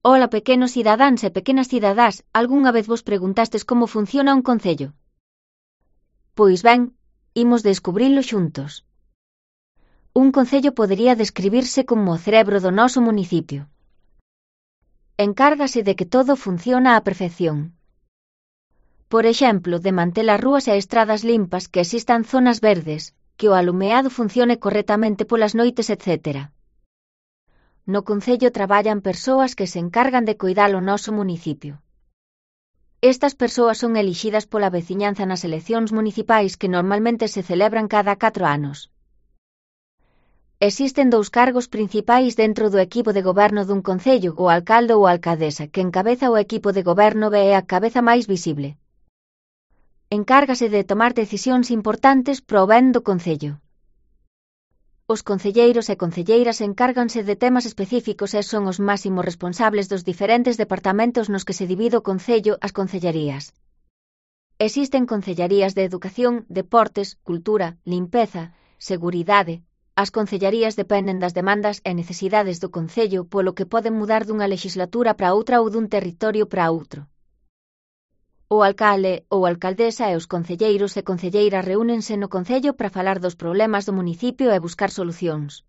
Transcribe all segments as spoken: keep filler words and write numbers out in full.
Ola, pequenos cidadáns e pequenas cidadás, algunha vez vos preguntastes como funciona un concello? Pois ben, imos descubrilo xuntos. Un concello podería describirse como o cerebro do noso municipio. Encárgase de que todo funciona á perfección. Por exemplo, de manter as rúas e estradas limpas, que existan zonas verdes, que o alumeado funcione correctamente polas noites, etcétera. No concello traballan persoas que se encargan de coidar o noso municipio. Estas persoas son elixidas pola veciñanza nas eleccións municipais que normalmente se celebran cada catro anos. Existen dous cargos principais dentro do equipo de goberno dun concello, o alcalde ou alcaldesa, que encabeza o equipo de goberno e é a cabeza máis visible. Encárgase de tomar decisións importantes pro ben do concello. Os concelleiros e concelleiras encárganse de temas específicos e son os máximos responsables dos diferentes departamentos nos que se divide o concello, as concellarías. Existen concellarías de educación, deportes, cultura, limpeza, seguridade. As concellarías dependen das demandas e necesidades do concello, polo que poden mudar dunha lexislatura para outra ou dun territorio para outro. O alcalde ou alcaldesa e os concelleiros e concelleiras reúnense no concello para falar dos problemas do municipio e buscar solucións.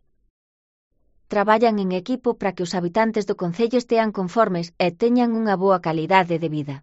Traballan en equipo para que os habitantes do concello estean conformes e teñan unha boa calidade de vida.